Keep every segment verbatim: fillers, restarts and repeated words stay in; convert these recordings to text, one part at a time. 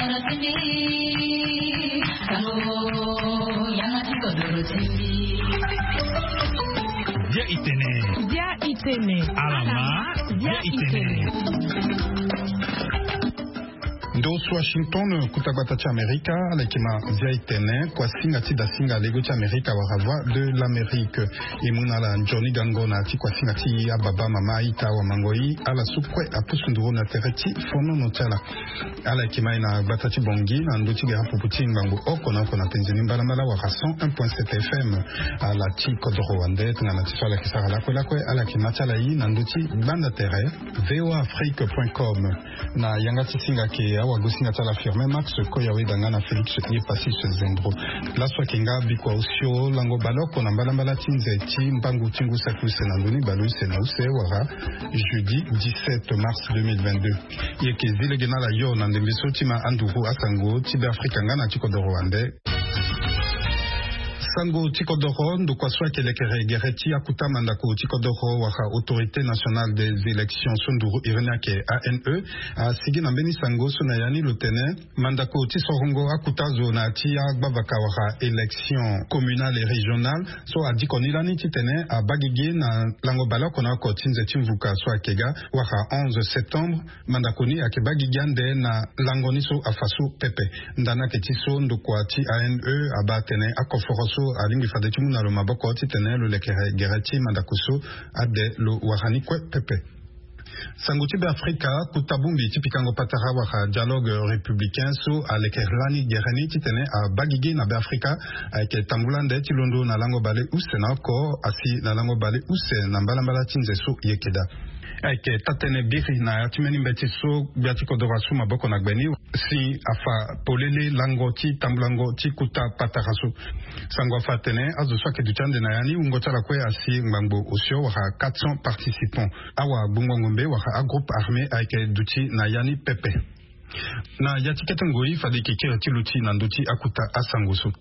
Dia itene. Dia itene. Alama. Dia itene. Ndo so Washington, kota gbata ti Amerika, ala yeke ma dia itene, kua singa ti da singa lego ti Amerika wala Voix de l'Amérique. E mu na ala nzoni gango na ya ti kua singa ti ababa, mama, ita, awamangoi, ala so kue apusu nduru na tere ti fonono ti ala. Ala yeke ma e na gbata ti Bangui na ndö ti gere apupu ti ngbangbo oko na oko na penze ni mbalambala wala cent un point sept F M. Ala ti kodoro wande tongana ti so ala yeke sara lakue lakue, ala yeke ma ti ala ye na ndö ti gbanda tere V O A Afrique point com. Na yanga ti singa ayeke awagosinga ti ala Firmin Max Koyaweda nga na Félix Yepassis Zendro. Laso ayeke nga bikua osio lango baleoko na mbalambala ti nze ti mbangu ti ngu saki use na ndö ni baleuse na use wala jeudi dix-sept mars deux mille vingt-deux. E yeke zi lege na ala yo na ndembe so ti ma anduru asango ti Beafrika nga na ti kodoro wande. Sango ti kodoro, ndokua so ayeke lekere gere ti akota mandako ti kodoro wala Autorité Nationale des Élections so nduru iri ni ayeke A N E, asigi na mbeni sango so na ya ni lo tene mandako ti sorongo akota zo na ya ti agbavaka wala élection communale et régionale so adiko ni lani titene abaa gigi na lango baleoko na oko ti nze ti mvuka so ayeke ga wala onze septembre. Mandako ni ayeke baa gigi ande na lango ni so afa so pepe. Ndani ayeke ti so ndokua ti A N E abaa atene akoforo so alingbi fade ti mu na lo maboko titene lo lekere gere ti mandako so ade lo wara ni kue pepe. Sango ti Beafrika, kota bongbi ti pikango patara wala Dialogue Républicain so alekere lani gere ni titene abaa gigi na Beafrika ayeke tambula ande ti londo na lango baleuse na oko asi na lango baleuse na mbalambala ti nze so e yeke daa. Ayeke taa-tënë biri na ya ti mbeni mbeti so gbia ti kodoro asu maboko na gbe ni si afa polele lango ti tambulango ti kota patara so. Sango afa atene azo so ayeke duti ande na ya ni wungo ti ala kue asi ngbangbo osio wala quatre cents participants. Awagbongo ngombe wala agroupe armé ayeke duti na ya ni pepe. Na ya ti kete ngoi fade e yeke kiri ti luti na ndö ti akota asango so.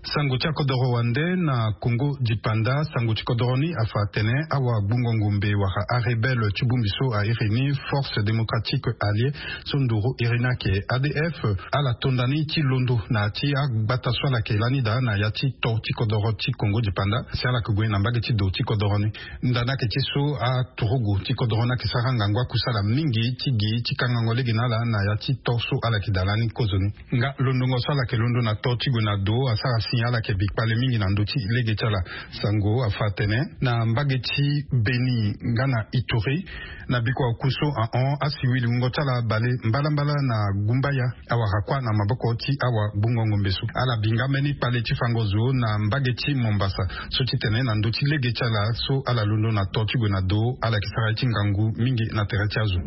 Sango ti akodoro wande na Congo dipanda, sango ti kodoro ni afa atene awagbongo ngombe wala arebelle ti bongbi so a iri ni Force Démocratique Alliée so nduru iri ni ayeke A D F, ala to nda ni ti londo na ya ti agbata so ala yeke lani daa na ya ti to ti kodoro ti Congo dipanda si ala yeke gue na mbage ti do ti kodoro ni. Ndani ayeke ti so aturugu ti kodoro ni ayeke sara ngangu akusala mingi ti gi ti kangango lege na ala na ya ti to so ala yeke daa lani kozoni. Nga londongo so ala yeke londo na to ti gue na do asara si ala yeke bi kpale mingi na ndö ti lege ti ala. Sango afa atene na mbage ti Beni nga na Ituri, na bikua oku so ahon asiwili wungo ti ala bale mbalambala na gumbaya awara kuâ na maboko ti awagbongo ngombe so. Ala bi nga mbeni kpale ti fango zo na mbage ti Mombasa so titene na ndö ti lege ti ala so ala londo na to ti gue na do ala yeke sara ye ti ngangu mingi na tere ti azo.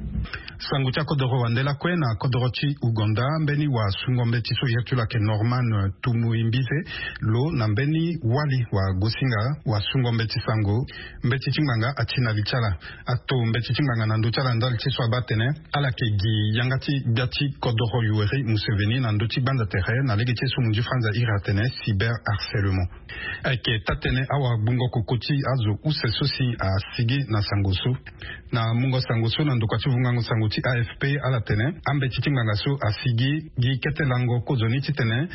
Sango ti akodoro wande lakue na kodoro ti Ouganda, mbeni wasungo mbeti so iri ti lo ayeke Norman Tumuimbize lo na mbeni wali wagosinga wasungo mbeti sango mbeti ti ngbanga ati na li ti ala. Ato mbeti ti ngbanga na ndö ti ala ndali ti so abaa atene ala yeke gi yanga ti gbia ti kodoro Yoweri Museveni na ndö ti gbanza tere na lege ti so munzu franza iri atene cyber harcèlement. Ayeke taa-tënë awagbongo koko ti azo use so si asigi na sango so. Na mungo sango so na ndokua ti vungango sango ti A F P ala tene ambeti ti ngbanga so asigi gi kete lango kozoni titene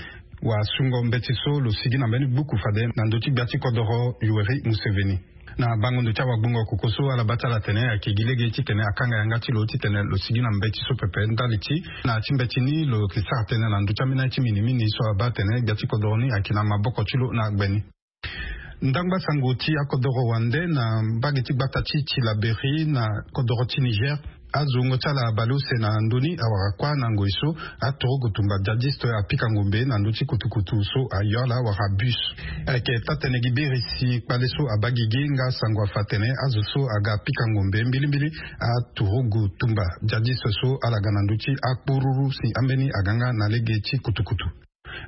wasungo mbeti so lo sigi na mbeni gbuku fade na ndö ti gbia ti kodoro Yoweri Museveni. Na bango ndo ti awagbongo koko so ala baa ti ala atene ayeke gi lege titene akanga yanga ti lo titene lo sigi na mbeti so pepe ndali ti na ya ti mbeti ni lo yeke sara tënë na ndö ti ambeni aye ti minimini so abaa atene gbia ti kodoro ni ayeke na maboko ti lo na gbe ni. Ndangba sango ti akodoro wande na mbage ti gbata ti Tillabéri na kodoro ti Niger. Azo wungo ti ala baleuse na ndö ni awara kuâ na ngoi so aturugu tumba djadiste apika ngombe na ndö ti kutukutu so ayo ala wala bus. Ayeke taa-tënë gi biri si kpale so abaa gigi nga sango afa atene azo so aga apika ngombe mbilimbili aturugu tumba djadiste so ala ga na ndö ti akpururu si ambeni aga nga na lege ti kutukutu.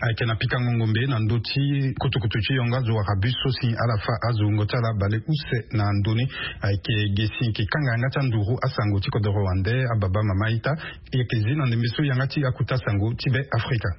Ayeke na pikango ngombe na ndö ti kutukutu ti yongo azo wala bus so si ala fâ azo wungo ti ala baleuse na ndö ni. Ayeke ge si e ke kanga yanga ti anduru asango ti kodoro wande ababa mama ita. E yeke zi na ndembe so yanga ti akota sango ti Be Afrika.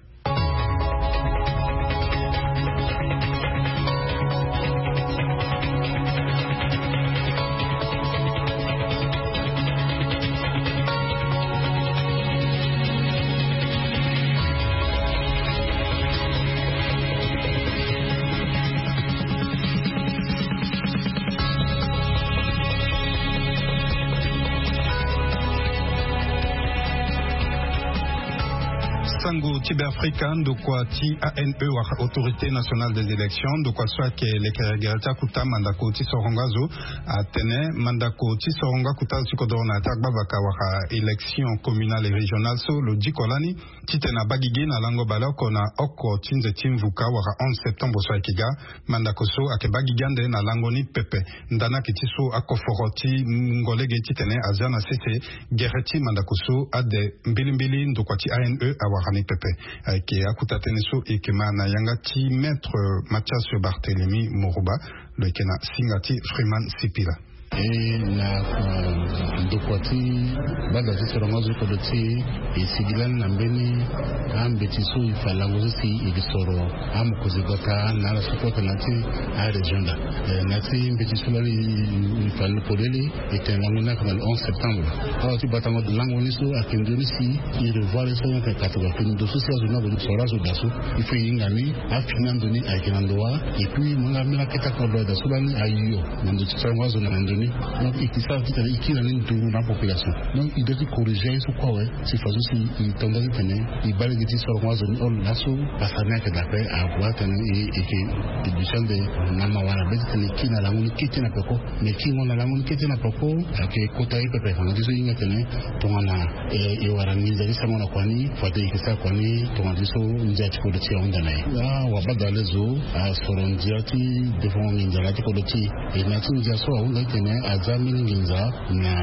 Sango ti Beafrika, ndokua ti A N E wala Autorité Nationale des Élections, ndokua so ayeke lekere gere ti akuta mandako ti sorongo azo, atene mandako ti sorongo akuta azo ti kodoro na ya ti agbavaka wala élection communale et régionale so lo diko lani titene abaa gigi na lango baleoko na oko ti nze ti mvuka wala onze septembre so ayeke ga. Mandako so ayeke baa gigi ande na lango ni pepe. Ndani ayeke ti so akoforo ti mungo lege titene azia na sese gere ti mandako so ade mbilimbili ndokua ti A N E awara ni pepe. Ayeke akuta tënë so e yeke ma na yanga ti Maître Mathias Barthélemy Morouba. Lo yeke na singa ti Freeman Sipila. E na ndokua ti gbanda ti sorongo azo kodro ti e, e sigi lani na mbeni ambeti so e fa lango so si e ke soro amokonzi gbata na ala so kota na ti arégion da. Na ti mbeti so lani e fa ni polele, e tene lango ni ayeke na le onze septembre. Awa ti batango lango ni so ayeke nzoni si e revoir so ayeke katuka pe ndo so si azo ni azo ni soro azo da so. Il faut e hinga ni afini ando ni ayeke na ndo wa. Et puis mo nga ambeni akete akodro da so lani ayo na ndo ti sorongo azo na ndo ni. Donc e ke sara titene e kiri na ni nduru na apopulation. Donc e doit ti corriger aye so kue awe. Si façon si e tonda titene e baa lege ti sorongo azo ni olo laso. Pasa ni ayeke daa ape ague atene e yeke e duti ande na mawa na be titene e kiri na lango ni kete na peko. Mais e kingo na lango ni kete na peko. Ayeke kota ye pepe fanga ti so e hinga tene tongana e wara nginza ti sango na kua ni fade e ke sara kua ni tongana ti so ndia ti kodro ti e ahunda na e. Awabadale zo asoro ndia ti defongo nginza na ya ti kodro ti e. E na ya ti ndia so ahunda titene aza mbeni nginza na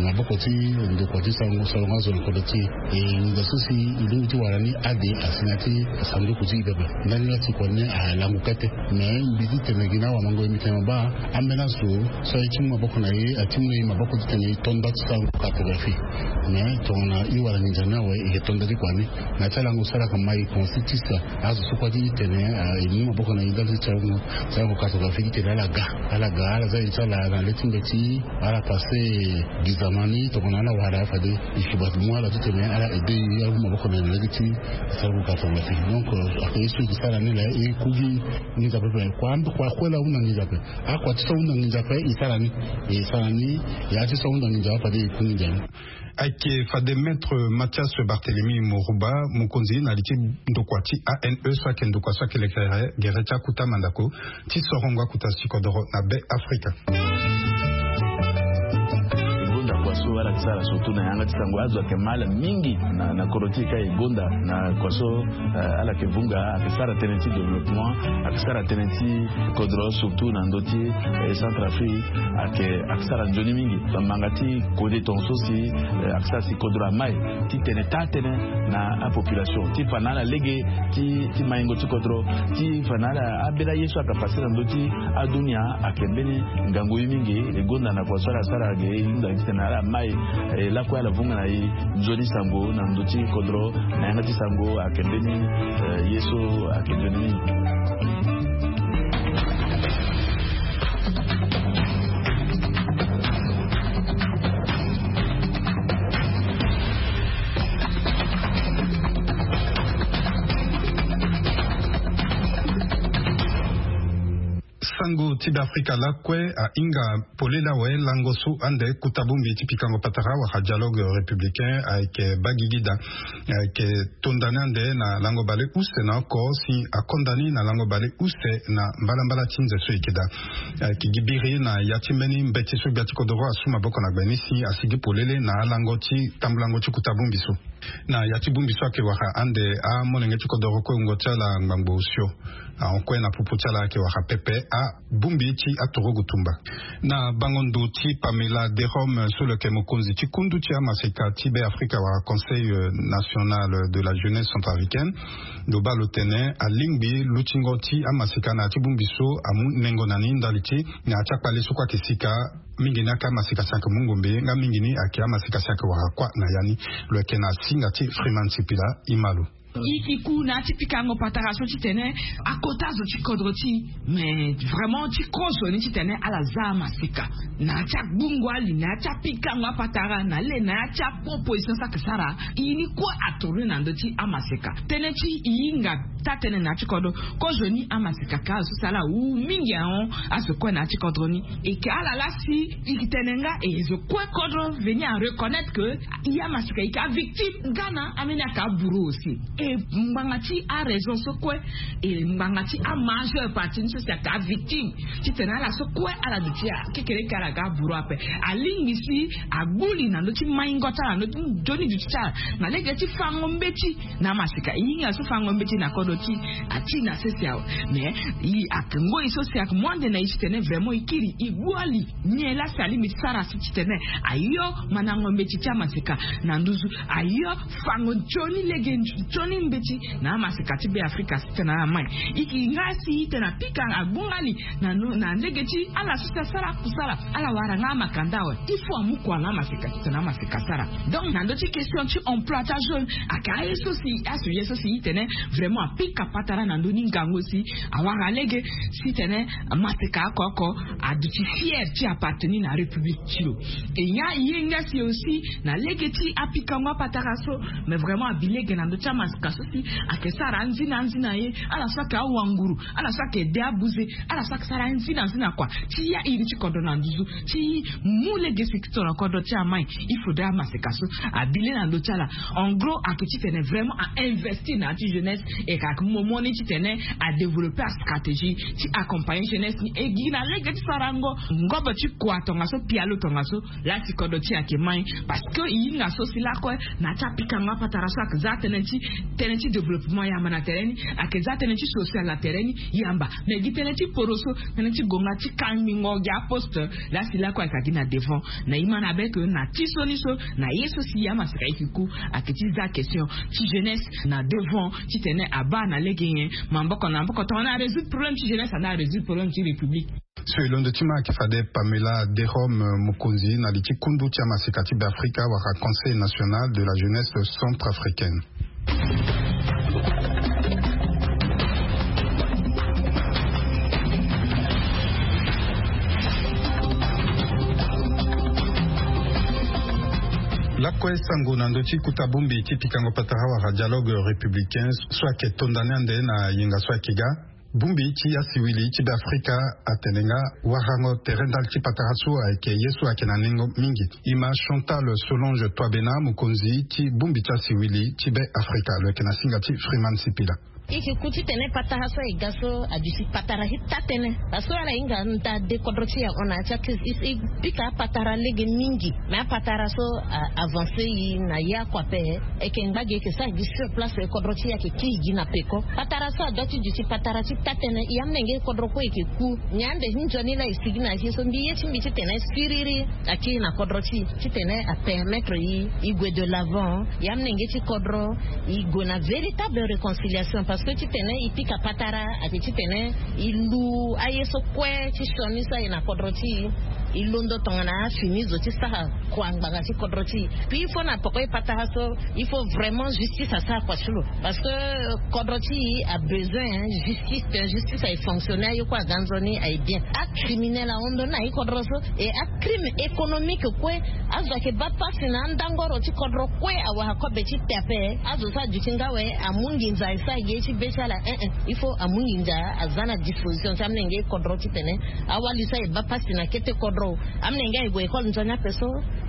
maboko ti ndokua ti sango sorongo azo na kodro ti e. E nginza so si e lingbi ti wara ni ade asi na ya ti sanduku ti e pepe. Ndani la si kua ni alangu kete. Mais mbi ti tene gi na awamango e mbi tene ma baa ambeni azo so aye ti mu maboko na e ati mu na e maboko titene e tonda ti sango cartographie. Mais tongana e wara nginza ni awe e ke tonda ti kua ni. Na ya ti alango so ala yeke ma e consi ti sa azo so kue ti tene e mu maboko na e ndali ti sarango cartographie ti tene ala ga. Ala ga ala za e ti ala na le ti mbeti ala pase gizama ni tongana ala wara fade e ke bati mu ala ti tene ala aide e ala mu maboko na e na le ti sarango cartographie. Donc ayeke ye so e ke sara ni la e ku gi nginza pepe kua kue la ahunda nginza ape. Akua ti so ahunda nginza ape e sara ni. E sara ni. Ya ti so ahunda nginza ape fade e ku nginza ni. Ayeke fade Maître Mathias Barthélemy Morouba, mokonzi na li ti ndokua ti A N E so ayeke ndokua so ayeke lekere gere ti akuta mandako ti sorongo akuta ti kodoro na Be Afrika. E gonda kua so ala yeke sara surtout na yanga ti sango azo ayeke ma ala mingi na kodro ti e ka e gonda na kua so ala yeke vunga ayeke sara tënë ti développement, ayeke sara tënë ti kodro surtout na ndö ti Centrafrique. Ayeke ayeke sara nzoni mingi bamanga ti kode tonga so si ayeke sara si kodro amai ti tene taa tënë na apopulation ti fa na ala lege ti maingo ti kodro ti fa na ala ambeni aye so ayeke pase na ndö ti adunia. Ayeke mbeni ngangu ye mingi e gonda na kua so ala sara ge e hunda titene ala mai e lakue ala vunga na e nzoni sango na ndö ti kodro na yanga ti sango ayeke mbeni ye so ayeke nzoni mingi. Sango ti Be Afrika lakue ahinga polele awe lango so ande kuta bongbi ti pikango patara wala dialogue républicain ayeke baa gigi daa. Ayeke tonda ni ande na lango baleuse na oko si akonda ni na lango baleuse na mbalambala ti nze so e yeke daa. Ayeke gi biri na ya ti mbeni mbeti so gbia ti kodoro asu maboko na gbe ni si asigi polele na alango ti tambulango ti kuta bongbi so. Na ya ti bongbi so ayeke wara ande amolenge ti kodoro kue wungo ti ala ngbangbo osio. Ahon kue na popo ti ala ayeke wara pepe abongbi ti aturugu tumba. Na bango ndo ti Pamela Derome so lo yeke mokonzi ti kundu ti amaseka ti Be Afrika wala Conseil national de la jeunesse centrafricaine, lo baa lo tene alingbi lutingo ti amaseka na ya ti bongbi so amu nengo na ni ndali ti na ya ti akpale so kue ayeke sika. Mingi ni ayeke amaseka si ayeke mu ngombe nga mingi ni ayeke amaseka si ayeke wara kuâ na ya ni. Lo yeke na singa ti Freeman Sipila e ma lo. E ke ku na ya ti pikango patara so titene akota zo ti kodro ti e. Mais vraiment ti kozo ni titene ala za amaseka na ya ti agbungo ali na ya ti apikango apatara na le na ya ti aproposition so ayeke sara. E ni kue atourne na ndö ti amaseka tënë ti e hinga taa-tënë na ya ti kodro. Kozoni amaseka ka azo si ala wu mingi ahon azo kue na ya ti kodro ni. E ke ala laa si e ke tene nga e zo kue kodro veni a reconnaître que e amaseka e ke avictime nga na ambeni aka aburu aussi. E ngbanga ti araison so kue e ngbanga ti amajeure partie ni so si aka avictime titene ala so kue ala duti ya kekereke ala ga aburu ape. Alingbi si agbu li na ndö ti maingo ti ala na ndö ti nzoni duti ti ala na lege ti fango mbeti na amaseka. E hinga so fango mbeti na kodro ti e ati na sese awe. Mais e ake ngoi so si ake mu ande na e titene vraiment e kiri e gbu ali nyen laa si alingbi ti sara si titene ayo mandango mbeti ti amaseka na nduzu, ayo fango nzoni lege nzoni mbeti na amaseka ti Be Afrika si tena na mai. E ke nga si e tena pika agbu nga li na lege ti ala so si asara akusala ala wara nga amakanda awe. Il faut amu kua na amaseka titene amaseka asara. Donc na ndö ti question ti emploi ti ajeune aka aye so si aso ye so si e tene vraiment apika patara na ndö ni ngangu si awara lege si tene amaseka oko oko aduti fier ti appartenir na république ti lo. E ya e ye nga si aussi na lege ti apikango apatara so. Mais vraiment abi lege na ndö ti amaseka so si ake sara anzina anzina ye ala so ake awanguru ala so ake de abuze ala so ake sara anzina anzina kua ti ya iri ti kodro na nduzu ti mu lege si tongana kodro ti amai. Il faudrait amaseka so abi le na ndö ti ala. En gros ake titene vraiment a investir na ya ti jeunesse e ka ake momo ni titene a développer astratégie ti accompagner jeunesse ni e gi na lege ti sarango ngobo ti kua tongaso pialo tongaso laa si kodro ti e ake mai. Parce que e hinga so si lakue na ya ti apikango apatara so ake za tënë ti tënë ti développement yamba na tere ni ake za tënë ti social na tere ni yamba. Mais gi tënë ti poroso tënë ti gonga ti kangbingo gi aposte laa si lakue ake agi na devant. Na e ma na be ke na ti so ni so na ye so si e amaseka e ke ku ake ti za question ti jeunesse na devant titene abaa na lege nyen. Maboko na maboko tongana arésoudre problème ti jeunesse anda arésoudre problème ti république. So e londo ti ma ake fade Pamela Derome, mokonzi na li ti kundu ti amaseka ti Beafrika wala Conseil national de la jeunesse centrafricaine. Lakue sango na ndö ti kuta bongbi ti pikango patara wala dialogue républicain so ake tonda ni ande na yenga so ake ga. Bongbi ti asiwili ti Beafrika atene nga warango tere ndali ti patara so ayeke ye so ayeke na nengo mingi. E ma Chantal Solange Toabena, mokonzi ti bongbi ti asiwili ti Beafrika lo yeke na singa ti Freeman Sipila. E ke ku titene patara so aye ga so aduti patara ti taa-tënë. Parce que ala hinga nda de kodro ti e ahon na ya ti akrize e pika apatara lege mingi. Mais apatara so avance e na ye oko ape. E ke ngba gi e ke sara gi sur place e kodro ti e ake kiri gi na peko. Patara so adoit ti duti patara ti taa-tënë e amolenge kodro kue e ke ku. Nyen ande ti nzoni laa e sigi na ye so mbi ye ti mbi titene siriri akiri na kodro ti e titene apermettre e e gue de l'avant. E amolenge ti kodro e gue na véritable réconciliation parce que titene e pika patara ake titene e lu aye so kue ti sioni so aye na kodro ti e. E londo tongana afini zo ti sara kua ngbanga ti kodro ti e. Puis il faut na poko e patara so il faut vraiment justice asara kua ti lo. Parce que kodro ti e abesoin justice. Justice aye fonctionner aye kue aga nzoni aye bien. Acriminel ahon ndoni na e kodro so. E acrime économique kue azo ayeke baa pasi na andangoro ti kodro kue awara kobe ti pe ape. Azo so aduti nga awe amu nginza e sara gi ye ti be ti ala. Ein ein il faut amu nginza aza na disposition ti amolenge kodro titene awali so aye baa pasi na kete kodro. Amolenge aye gue école nzoni ape so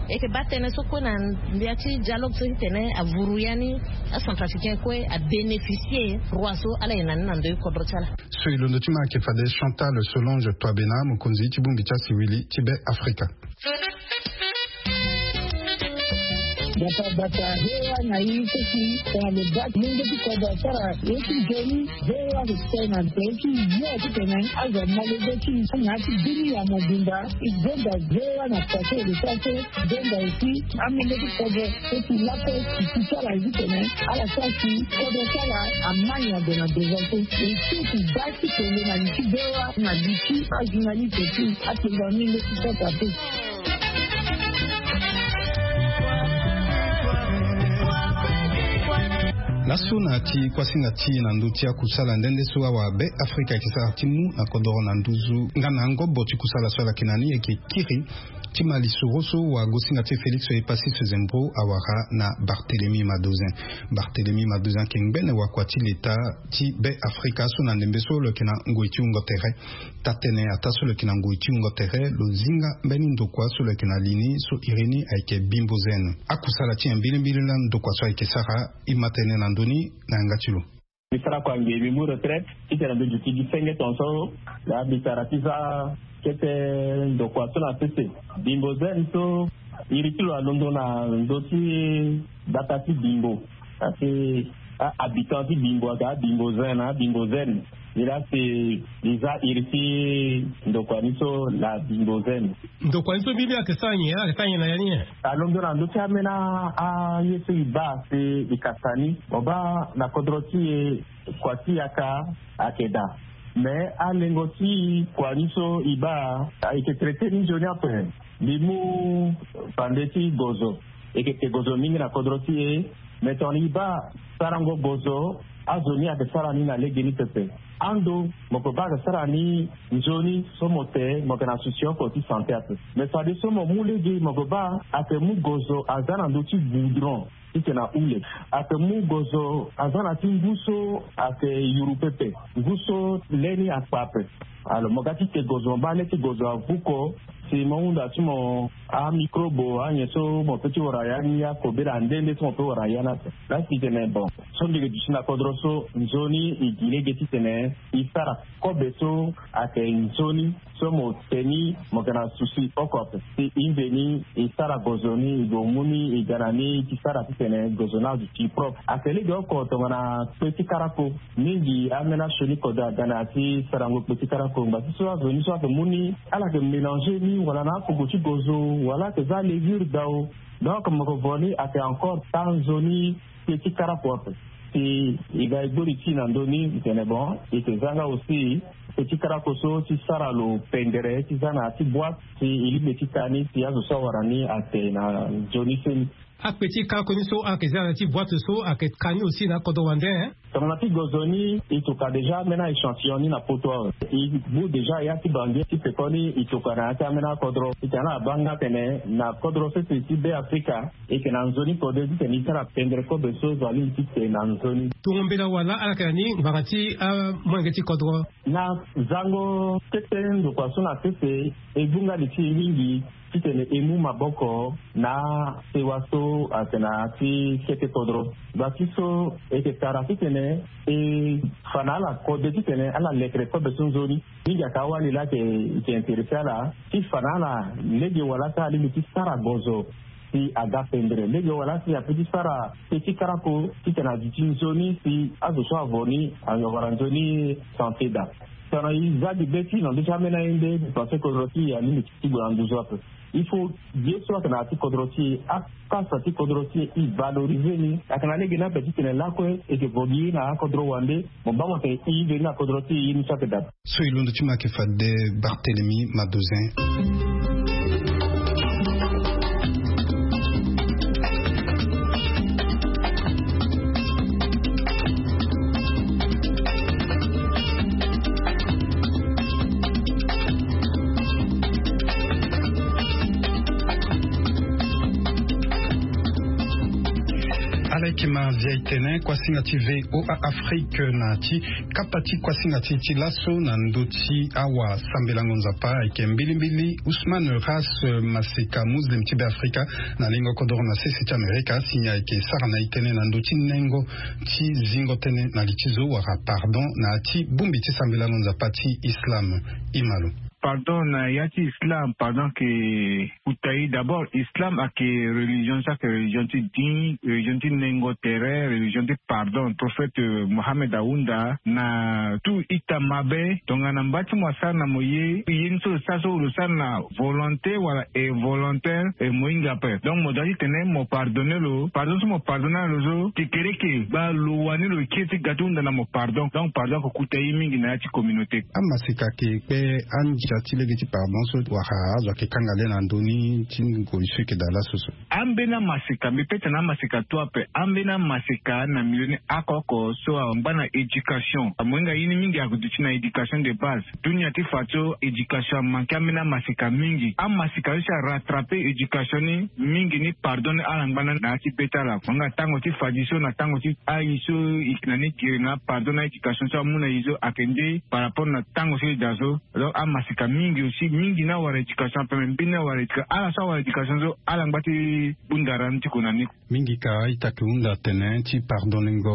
e yeke baa tënë so kue na ndia ti dialogue so titene avuru ya ni acentrafricain kue abénéficier droit so ala ye na ni na ndö ti kodro ti ala. So e londo ti ma ayeke fade Chantal Solange Toabena, mokonzi ti bongbi ti asiwili ti Beafrika. Bata bata hewa na i so si tongana lo baa ti mungo ti kodro asara ye ti nzoni. Hewa lo sene na nze ti yo titene azo amolenge ti na ya ti bini ya mobimba. E zonza hewa na pase lo sara so zonza aussi amolenge ti kodro so si lakue si ti ala ye titene ala sara si kodro ti ala amai na gue na devant so. E so si baa ti kende na li ti hewa na li ti ajournaliste ti atengo amolenge ti sasa te. Laso na ya ti kuasinga ti e na ndö ti akusala nde nde so awa Be Afrika ayeke sara ti mu na kodoro na nduzu nga na ngobo ti kusala so ala yeke na ni ayeke kiri ti ma lisoro so wagosinga ti e Félix Epassis Zembro awara na Barthélemy Madozin. Barthélemy Madozin ayeke ngbene wakua ti leta ti Be Afrika so na ndembe so lo yeke na ngoi ti wungo tere. Taa-tënë ataa so lo yeke na ngoi ti wungo tere lo zinga mbeni ndokua so lo yeke na li ni so iri ni ayeke Bimbo Zen. Akusala ti e mbilimbili laa ndokua so ayeke sara e ma tene na ndö ni na yanga ti lo. Mbi sara kua nge mbi mu retraite titene mbi duti gi senge tongaso. Laa mbi sara ti za kete ndokua so na sese. Bimbo Zen so iri ti lo alondo na ndö ti gbata ti Bimbo. Parce que a-habitant ti Bimbo aga Bimbo Zen na Bimbo Zen. Nilaa si li za iri ti ndokua ni so la Bimbo Zen. Ndokua ni so mbi mbi ayeke sara nyen, ayeke sara nyen na ya ni nyen? Alondo na ndö ti ambeni aye so e baa si e ka sa ni. Mo baa na kodro ti e kua ti yaka ayeke daa. Me alengo ti kua ni so e baa ayeke traité ni nzoni ape. Mbi mu fande ti gozo. E yeke te gozo mingi na kodro ti e. Me tongana e baa sarango gozo, azo ni ayeke sara ni na legeni pepe. Ando mo yeke baa ayeke sara ni nzoni so mo te mo yeke na souci oko ti santé ape. Me fadeso mo mu lege mo yeke baa ayeke mu gozo aza na ndö ti goudron titene ahule. Ayeke mu gozo aza na ti ngu so ayeke yuru pepe, ngu so le ni akpa ape. Alors mo ga ti te gozo mo baa le ti gozo avuko. Si mo hunda ti mo amicrobe anyen so mo pe ti wara ya ni akobela nde nde so mo pe wara ya ni ape. Laa si tene bon, so mbi yeke duti na kodro so nzoni e gi lege titene e sara kobe so ayeke nzoni so mo te ni mo yeke na souci oko ape. Si e mveni e sara gozo ni e gue mu ni e ga na ni ti sara titene gozo ni aduti propre. Ayeke lege oko tongana kpe ti karako. Mingi ambeni asioni kode aga na ya ti sarango kpe ti karako ngba ti so azo ni so ayeke mu ni ala yeke mélanger ni wala na akogo ti gozo wala ayeke za levure dao. Donc mo yeke vo ni ayeke encore taa nzoni kpe ti karako ape. Si e ga e gbori ti e na ndö ni e tene bon e yeke za nga aussi kpe ti karako so ti sara lo pendere ti za na ya ti boite si e lingbi ti ka ni si azo so awara ni ate na nzoni seni. Akpe ti karako ni so ayeke za na ya ti boite so ayeke ka ni aussi na akodro wande. Tongana ti gozo ni e toka déjà ambeni a-échantillon ni na poto awe. E bu déjà ya ti bangi ti pekoni e toka na ya ti ambeni akodro. E tene ala baa nga atene na kodro sese ti Be Afrika e yeke na nzoni kode titene e sara pendere kobe so zo alingbi ti te na nzoni. Tongo mbela wala ala yeke na ni ngbanga ti amolenge ti kodro? Na zango kete ndokua so na sese e gbu nga li ti e mingi titene e mu maboko na sewa so ayeke na ya ti kete kodro. Ngba ti so e yeke tara titene e fa na ala kode titene ala lekere kobe so nzoni. Mingi ayeke awali laa ayeke intéressé ala ti fa na ala lege wala so alingbi ti sara gozo si aga pendere lege wala si ape ti sara kpe ti karako titene aduti nzoni si azo so avo ni awara nzoni santé daa. Tongana e za gi be ti e na ndö ti ambeni aye nde mbi pense kodro ti e alingbi ti gue na nduzu ape. Il faut ye so ayeke na ya ti kodro ti e, akasa ti kodro ti e, e valoriser ni. Ayeke na lege ni ape titene lakue e yeke vo gi ye na akodro wande. Mo baa mo tene e veni na kodro ti e ye ni so ayeke daa. So e londo ti mo ayeke fade Barthélemy Madozin. Ala yeke ma via e tene kuasinga ti V O A Afrique na ti kapa ti kuasinga ti e ti laso na ndö ti awasambela ngonza pa ayeke mbilimbili Ousmane Ras Maseka, Muslim ti Be Afrika, na lengo kodoro na sese ti Amerika, asi ni ayeke sara na e tënë na ndö ti nengo ti zingo tënë na li ti zo wala pardon na ya ti bongbi ti sambela ngonza pa ti Islam. E ma lo. Pardon na ya ti Islam, pardon ayeke kota e. D'abord Islam ayeke religion so ayeke religion ti ding, religion ti nengo tere, religion ti pardon. Prophète Mohammed ahunda na tout ita mabe. Tongana mba ti mo asara na mo ye, ye ni so lo sara so lo sara na volonté wala involontaire, e mo hinga ape. Donc mo doit ti tene mo pardonner lo. Pardon so mo pardonner lo so, kekereke gba lo wani lo kiri ti ga ti hunda na mo pardon. Donc pardon ayeke kota e mingi na ya ti communauté. Amaseka ayeke kpe andi Tia ti lege ti pardon so wala azo ayeke kanga le na ndö ni ti ngoi so eke daa laso so. Ambeni amaseka mbi pete na amaseka tu ape. Ambeni amaseka na milieu ni oko-oko so angba na éducation, amohinga ye ni mingi aduti na éducation de base. Dunia ti fa so éducation amanke ambeni amaseka mingi. Amaseka so si arattrape éducation ni mingi ni pardon ni ala ngba na ya ti be ti ala. Amohinga tango ti fadiso na tango ti ayi so e yeke na ni giri na pardon na éducation so amu na e so ayeke nde par rapport na tango so e daa so. Donc amaseka mingi aussi, mingi ni awara éducation ape, me mbeni ni awara éducation, ala so awara éducation so ala ngba ti bunda ra ni ti ko na ni. Mingi ka a-ita ayeke hunda tene ti pardonengo,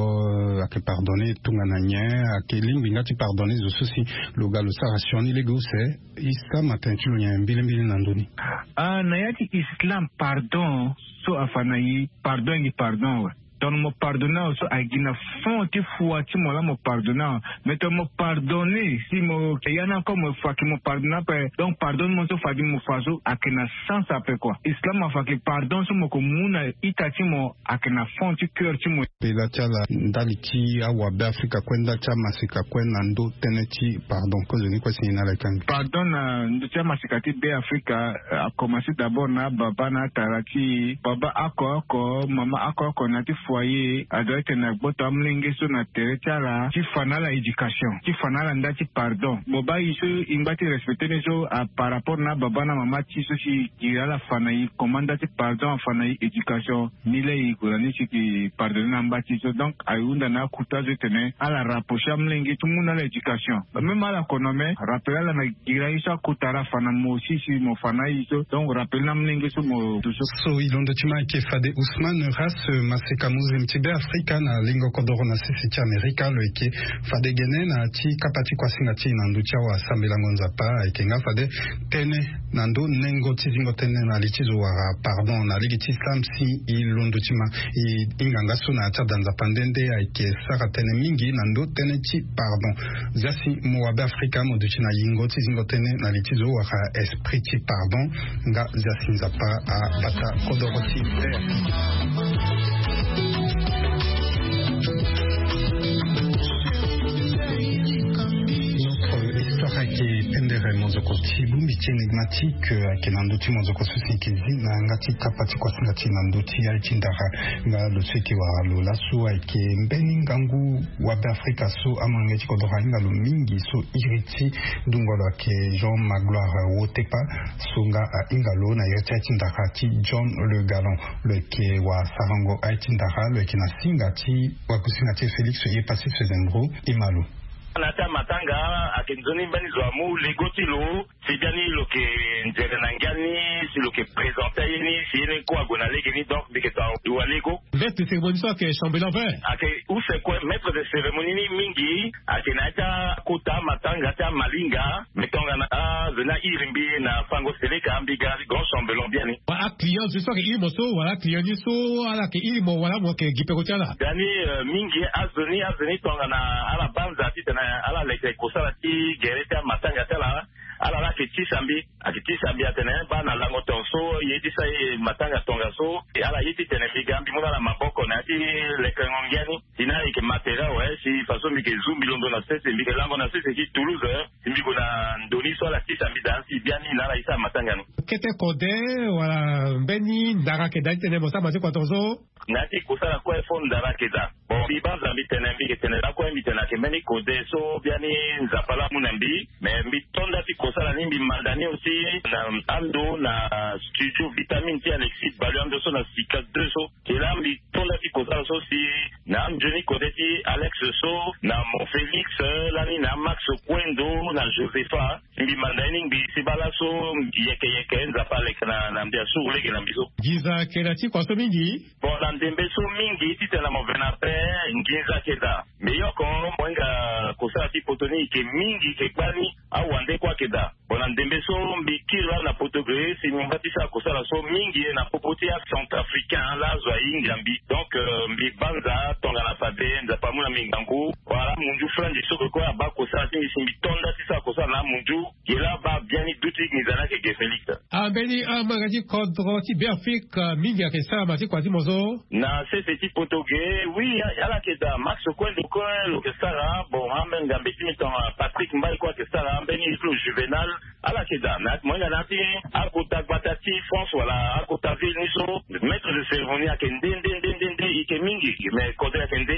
ayeke pardonne tongana nyen? Ayeke lingbi nga ti pardonne zo so si lo ga lo sara sioni lege use, e sama tene ti lo nyen mbilimbili na ndö ni? Ah, na ya ti islam, pardon so afa na e, pardon ayeke pardon awe. Tongana mo pardonne awe so ayeke gi na fond ti fua ti mo laa mo pardonne awe. Mais tongana mo pardonne si mo ya ni encore mo fa ke mo pardonne ape, donc pardon ni mo so fadi mo fa so ayeke na sens ape kua. Islam afa ke pardon so mo ke mu na ita ti mo ayeke na fond ti cœur ti mo. Pela ti ala ndali ti awabe afrika kue, ndali ti amaseka kue na ndö tënë ti pardon, kozoni kue si ni na ala yeke ande. Pardon na ndö ti amaseka ti be afrika, eh, akomanse d'abord na ababa na atara ti e. Baba oko oko, mama oko oko na ya ti foyer, adoit tene agboto amolenge so na tere ti ala ti fa na ala éducation, ti fa na ala nda ti pardon. Mo baa e so e ngba ti respecte ni so, a par rapport na ababa na mama ti e so si e giri ala fa na e comment nda ti pardon, afa na e éducation. Ni laa e gue na ni si e ke pardonne na amba ti e so. Donc ahunda na akota so e tene ala rapprocher amolenge ti mu na ala éducation. Même ala kono me rappele ala na giri aye so akota ala fa na mo si si mo fa na aye so. Donc rappele na amolenge so mo du so. So e londo ti ma ayeke fade Ousmane Ras, maseka muslim ti be afrika na lingo kodoro na sese ti amerika, lo yeke fade gene na ti kapa ti kuasinga ti e na ndö ti awasambelango nzapa. Ayeke nga fade tënë na ndö nengo ti zingo tënë na li ti zo wala pardon na lege ti islam si e londo ti ma. E hinga nga so na ya ti ada nzapa nde nde ayeke sara tënë mingi na ndö tënë ti pardon. Zia si mo wabe afrika mo duti na yingo ti zingo tënë na li ti zo wala esprit ti pardon. Nga zia si nzapa abata kodoro ti. Notre histoire ayeke pendere mozoko ti bongbi ti énigmatique, ayeke na ndö ti mozoko so si e yeke zi na yanga ti kapa ti kuasinga ti e na ndö ti aye ti ndara. Nga lo so e yeke wara lo laso ayeke mbeni ngangu wabe afrika so amolenge ti kodoro ahinga lo mingi so iri ti ndungo lo ayeke Jean Magloire Wotepa. So nga ahinga lo na iri ti aye ti ndara ti John Le Galant. Lo yeke wasarango aye ti ndara, lo yeke na singa ti wakusinga ti e Félix Ye Passif Zembro. E ma lo. Na ya ti amatanga ayeke nzoni mbeni zo amu lego ti lo si biani lo yeke nzere na ngia ni, si lo yeke présente aye ni si ye ni kue ague na lege ni. Donc mbi yeke to awa lego. Maître de cérémonie so ayeke chambellan vert. Ayeke use kue maître de cérémonie ni mingi ayeke na ya ti akota amatanga ti amalinga. Mais tongana azo ni airi mbi na fango seleka, mbi ga grand chambellan biani. Wala aclient zo so ayeke iri mo so wala aclient ni so ala yeke iri mo wala mo yeke gi peko ti ala. Biani, euh, mingi azo ni, azo ni tongana ala banza titene ala leke kosala ti gere ti amatanga ti ala, ala la yeke tisa mbi. Ayeke tisa mbi atene baa na lango tongaso ye ti sa ye matanga tongaso. Ala ye titene mbi ga mbi mu na ala maboko na ya ti lekerengo ngia ni. Si na ala yeke matériel awe si façon mbi yeke zu mbi londo na sese, mbi yeke lango na sese ti Toulouse, eh, si mbi gue na ndo ni so ala tisa mbi daa si biani na ala ye ti amatanga ni. Kete kode wala mbeni ndara ayeke daa titene mo sara matanga tongaso? Na ya ti kosala kue fo ndara ayeke daa. Bon, mbi banza mbi tene, mbi yeke tene lakue mbi tene ayeke mbeni kode so biani Nzapa laa amu na mbi. Mais mbi to nda ti kosala ni, mbi manda ni aussi na ando na studio Vitamine ti Alexis Balu ando so na Sika deux so. Ke laa mbi to nda ti kosala so si na anzoni kode ti Alex so, na Mon Félix, eh, lani na Max Kwendo, na Josepha. Mbi manda ye ni ngbii si baa laso yeke yeke Nzapa aleke na, na mbi asuru lege na mbi so. Nginza ayeke daa ti kua so mingi. Bon, na ndembe so mingi titene mo ve na pe nginza ayeke daa. Mbi yoko mo hinga kosala ti poto ni yeke mingi yeke gbani awande kue ayeke daa. Bon, na ndembe so mbi kiri laa na poto ge si mbi ngba ti sara kosala so mingi na popo ti acentrafricain laa azo ahinga mbi. Donc, euh, mbi banza tongana fade Nzapa amu na mbi ngangu. Wala amunzu flanzi so ke kue abaa kosala ti mbi si mbi to nda ti sara kosala na amunzu. Ge laa abaa biani duti nginza ni ayeke ge Félix. Ah, mbeni amanga ti kodro ti Beafrika mingi ayeke sara ma ti kua ti mo so. Na sese ti poto ge, oui, ala yeke daa. Max Kwendo Coin lo yeke sara. Bon, ambeni ngambe ti mi tongana Patrick Mbaye kue ayeke sara, ambeni ti lo Juvenal. Ala yeke daa, me ayeke mo hinga na ya ti akota gbata ti France wala akota ville ni so, maître de cérémonie ayeke nde nde nde nde nde, e yeke mingi, me kodro ayeke nde.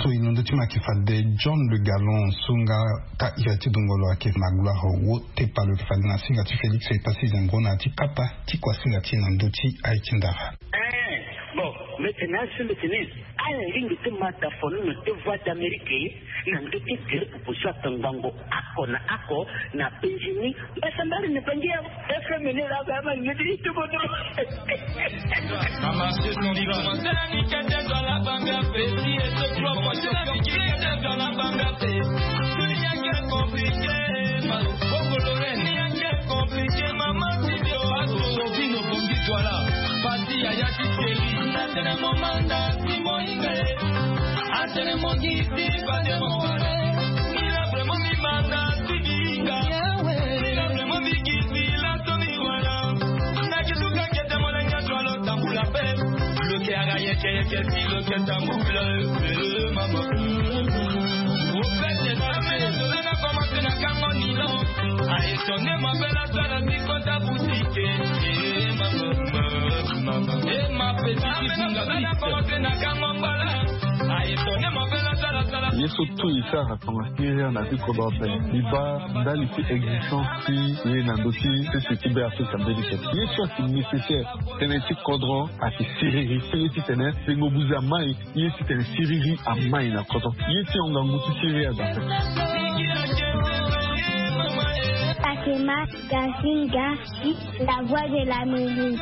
So e na ndö ti ma ayeke fade John Le Gallon so nga ka iri ti dungolo ayeke na gloire wo. Tepa lo yeke fade na singa ti Félix Epassi Zembro na ya ti kapa ti kuasinga ti e na ndö ti aye ti ndara. Eh, bon, mbi tene aso mbi tene ala lingbi ti ma da fono na te Voix d'Amérique na ndö ti tere pupu so atongbango oko na oko na penzi ni. Mbasambala ni bangi ya F M ni la ba ma ngeti ti bodo. Ye so tout e sara tongana siriri na ti kodro ape. E baa ndali ti existence ti ye na ndö ti sese ti Be Afrika mbeni tene. Ye so ayeke nécessaire tënë ti kodro ayeke siriri. Tënë ti tene sengo buze amai. Ye ti tene siriri amai na kodro. Ye ti hon ngangu ti siriri adape. Pakema Gazinga, la voix de l'Amérique.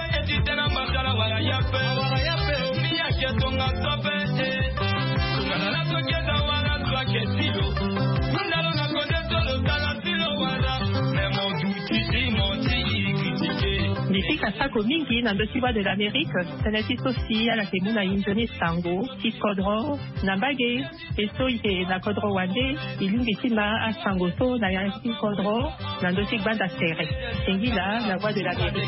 Mbi fika sako mingi na ndö ti Voix de l'Amérique. Tënë ti so si ala yeke mu na e nzoni sango ti kodro na mbage. E so e yeke na kodro wande, e lingbi ti ma asango so na ya ti kodro na ndö ti gbanda tere. Singila, la voix de l'Amérique.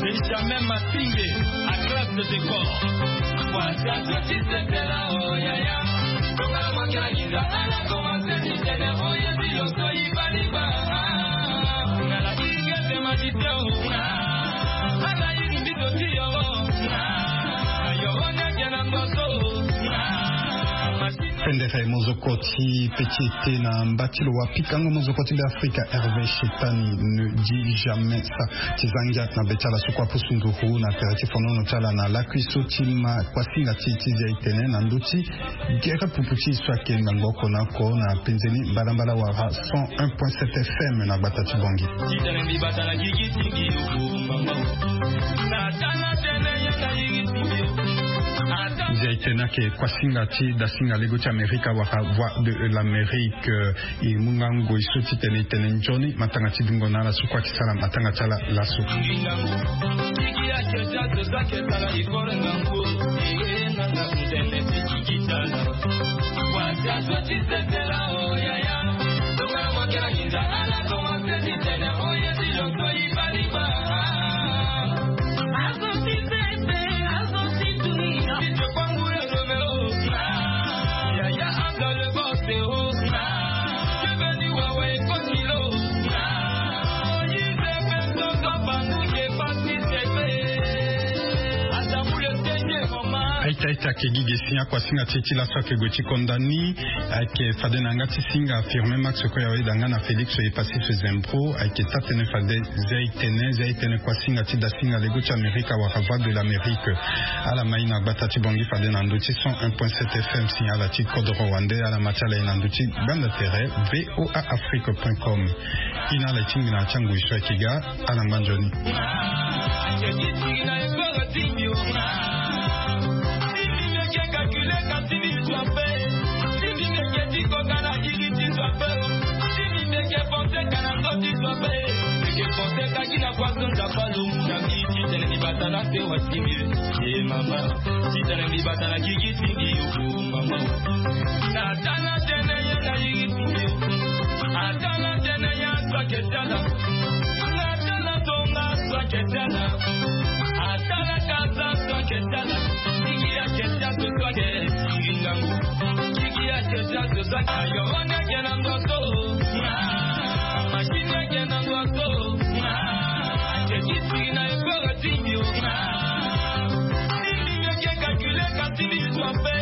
Benjamin Matinge, à classe de décor. Fendere mozoko ti petit été na mba ti lo wa pikango mozoko ti Be Afrika, Hervé Chetani ne dit jamais ça. Ti za ngia na be ti ala so kue apusu nduru na tere ti fonono ti ala na lakui so ti ma kuasinga ti e ti zia e tene na ndö ti gere pupu ti e so ayeke ngangu oko na oko na penze ni mbalambala wala cent un point sept F M na gbata ti Bangui. Zia e tene ayeke kuasinga ti dasinga lego ti Amerika wala Voix de l'Amérique. E mu nga ngoi so titene e tene nzoni matanga ti dungo na ala so kue ayeke sara matanga ti ala laso. Aita aita ayeke gi ge si akuasinga ti e ti laso ayeke gue ti konda ni. Ayeke fade na yanga ti singa Firmin Max Koyawe da nga na Félix Epassi Fezempro ayeke taa-tënë fade Zia e tene, Zia e tene kuasinga ti dasinga lego ti Amerika wala Voix de l'Amérique. Ala ma e na gbata ti Bangui fade na ndö ti cent un point sept F M si ala ti kodro wande, ala ma ti ala e na ndö ti gbanda tere V O A Afrique point com. E na ala e tingbi na ya ti angoi so ayeke ga, ala ngba nzoni. Atalaka za so ake tala. Tiki ake tia so so ake tiki ngangu. Tiki ake tia so so ake ayo wana ake na ndo so. Machine ake na ndo so. Ake tiki na ekoro tingi o. Tingi ake calculer ka tingi so ape.